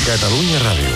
Catalunya Ràdio.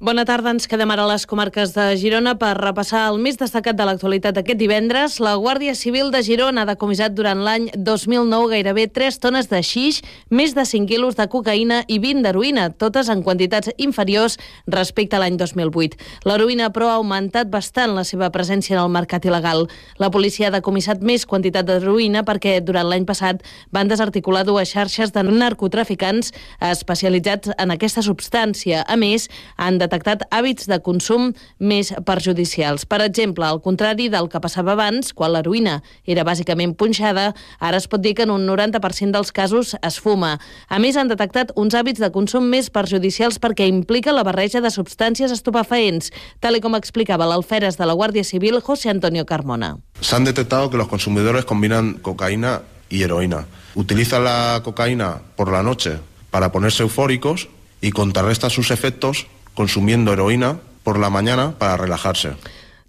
Bona tarda, ens quedem ara a les comarques de Girona per repassar el més destacat de l'actualitat aquest divendres. La Guàrdia Civil de Girona ha decomissat durant l'any 2009 gairebé 3 tones de xix, més de 5 quilos de cocaïna i 20 d'heroïna, totes en quantitats inferiors respecte a l'any 2008. L'heroïna, però, ha augmentat bastant la seva presència en el mercat il·legal. La policia ha decomissat més quantitat d'heroïna perquè durant l'any passat van desarticular 2 xarxes de narcotraficants especialitzats en aquesta substància. A més, han detectat hàbits de consum més perjudicials. Per exemple, al contrari del que passava abans, quan l'heroïna era bàsicament punxada, ara es pot dir que en un 90% dels casos es fuma. A més, han detectat uns hàbits de consum més perjudicials perquè implica la barreja de substàncies estupefaents, tal com explicava l'alferes de la Guàrdia Civil, José Antonio Carmona. Se han detectado que los consumidores combinan cocaína y heroína. Utilizan la cocaína por la noche para ponerse eufóricos y contrarrestan sus efectos consumiendo heroína por la mañana para relajarse.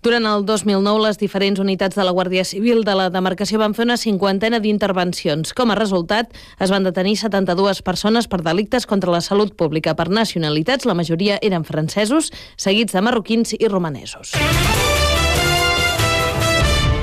Durant el 2009, les diferents unitats de la Guàrdia Civil de la demarcació van fer una 50ena d'intervencions. Com a resultat, es van detenir 72 persones per delictes contra la salut pública. Per nacionalitats, la majoria eren francesos, seguits de marroquins i romanesos.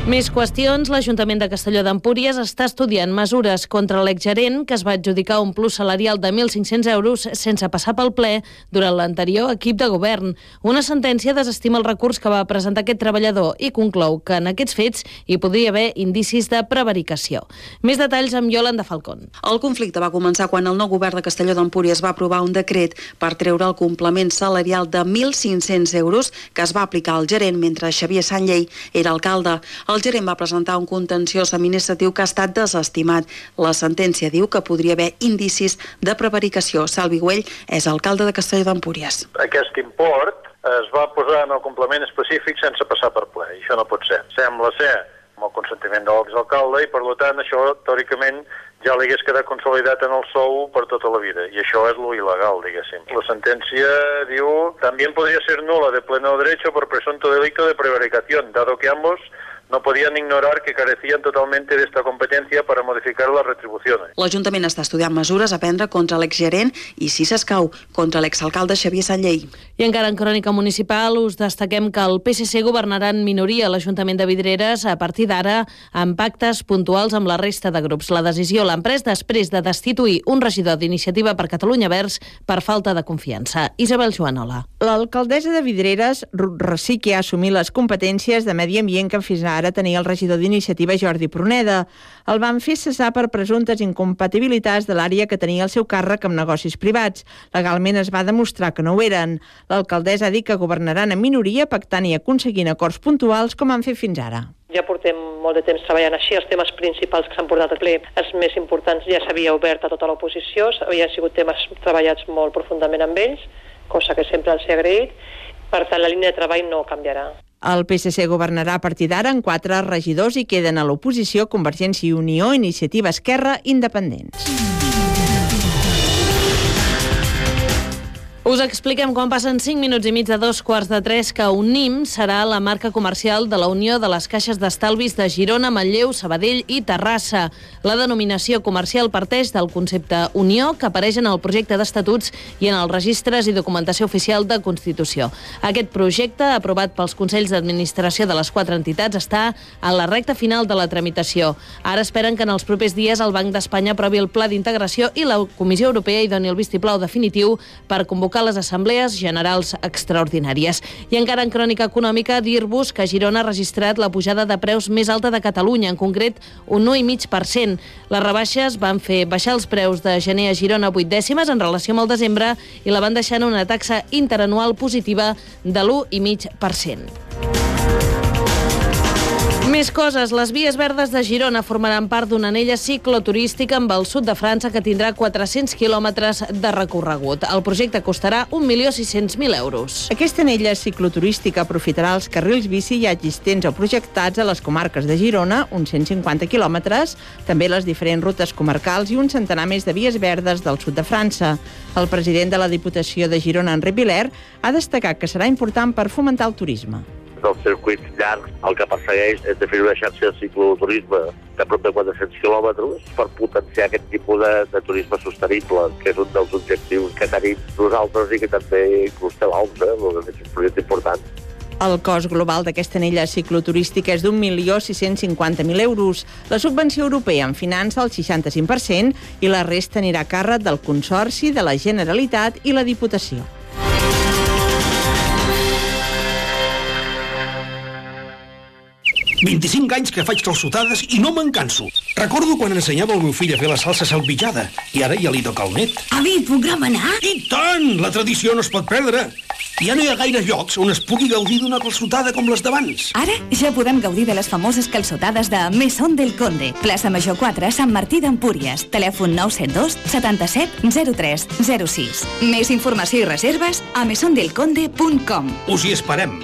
Més qüestions. L'Ajuntament de Castelló d'Empúries està estudiant mesures contra l'exgerent que es va adjudicar un plus salarial de 1.500 euros sense passar pel ple durant l'anterior equip de govern. Una sentència desestima el recurs que va presentar aquest treballador i conclou que en aquests fets hi podria haver indicis de prevaricació. Més detalls amb Yolanda Falcón. El conflicte va començar quan el nou govern de Castelló d'Empúries va aprovar un decret per treure el complement salarial de 1.500 euros que es va aplicar al gerent mentre Xavier Sanllei era alcalde. El gerent va presentar un contenciós administratiu que ha estat desestimat. La sentència diu que podria haver indicis de prevaricació. Salvi Güell és alcalde de Castelló d'Empúries. Aquest import es va posar en el complement específic sense passar per ple, i això no pot ser. Sembla ser amb el consentiment de l'exalcalde i, per tant, això, teòricament, ja li hagués quedat consolidat en el sou per tota la vida, i això és lo il·legal, diguéssim. La sentència diu, también podría ser nula de pleno derecho por presunto delito de prevaricación, dado que ambos no podien ignorar que carecien totalmente de esta competencia para modificar las retribuciones. L'Ajuntament està estudiant mesures a prendre contra l'exgerent i, si s'escau, contra l'exalcalde Xavier Sanllei. I encara en crònica municipal us destaquem que el PSC governarà en minoria a l'Ajuntament de Vidreres a partir d'ara amb pactes puntuals amb la resta de grups. La decisió l'han pres després de destituir un regidor d'Iniciativa per Catalunya Verds per falta de confiança. Isabel Joanola. L'alcaldessa de Vidreres, Ruth Rosique, ha assumit les competències de medi ambient que fins ara tenia el regidor d'Iniciativa Jordi Pruneda. El van fer cessar per presumptes incompatibilitats de l'àrea que tenia el seu càrrec amb negocis privats. Legalment es va demostrar que no ho eren. L'alcaldessa ha dit que governaran en minoria, pactant i aconseguint acords puntuals com han fet fins ara. Ja portem molt de temps treballant així, els temes principals que s'han portat al ple, els més importants ja s'havia obert a tota l'oposició, havien sigut temes treballats molt profundament amb ells, cosa que sempre els he agraït, per tant la línia de treball no canviarà. El PSC governarà a partir d'ara en 4 regidors i queden a l'oposició Convergència i Unió, Iniciativa Esquerra, Independents. Us expliquem quan passen 5 minuts i mig de 2:15 que Unim serà la marca comercial de la Unió de les Caixes d'Estalvis de Girona, Manlleu, Sabadell i Terrassa. La denominació comercial parteix del concepte Unió que apareix en el projecte d'estatuts i en els registres i documentació oficial de Constitució. Aquest projecte, aprovat pels Consells d'Administració de les 4 entitats, està en la recta final de la tramitació. Ara esperen que en els propers dies el Banc d'Espanya aprovi el pla d'integració i la Comissió Europea hi doni el vistiplau definitiu per convocar les assemblees generals extraordinàries. I encara en crònica econòmica, dir-vos que Girona ha registrat la pujada de preus més alta de Catalunya, en concret un 9,5%. Les rebaixes van fer baixar els preus de gener a Girona 8 dècimes en relació amb el desembre i la van deixar en una taxa interanual positiva de l'1,5%. Més coses. Les vies verdes de Girona formaran part d'una anella cicloturística amb el sud de França que tindrà 400 quilòmetres de recorregut. El projecte costarà 1.600.000 euros. Aquesta anella cicloturística aprofitarà els carrils bici ja existents o projectats a les comarques de Girona, uns 150 quilòmetres, també les diferents rutes comarcals i un centenar més de vies verdes del sud de França. El president de la Diputació de Girona, Enric Viler, ha destacat que serà important per fomentar el turisme. dels circuits llargs, el que persegueix és definir una xarxa de cicloturisme de prop de 400 quilòmetres per potenciar aquest tipus de turisme sostenible, que és un dels objectius que tenim nosaltres i que també inclús té l'OMS, és un projecte important. El cost global d'aquesta anella cicloturística és d'1.650.000 euros. La subvenció europea en finança el 65% i la resta anirà a càrrec del Consorci, de la Generalitat i la Diputació. «25 anys que faig calçotades i no me'n canso. Recordo quan ensenyava el meu fill a fer la salsa salvitjada i ara ja li toca el net. Avi, puc remenar? I tant! La tradició no es pot perdre. Ja no hi ha gaires llocs on es pugui gaudir d'una calçotada com les d'abans. Ara ja podem gaudir de les famoses calçotades de Mesón del Conde. Plaça Major 4, Sant Martí d'Empúries. Telèfon 972 77 03 06. Més informació i reserves a mesondelconde.com. Us hi esperem.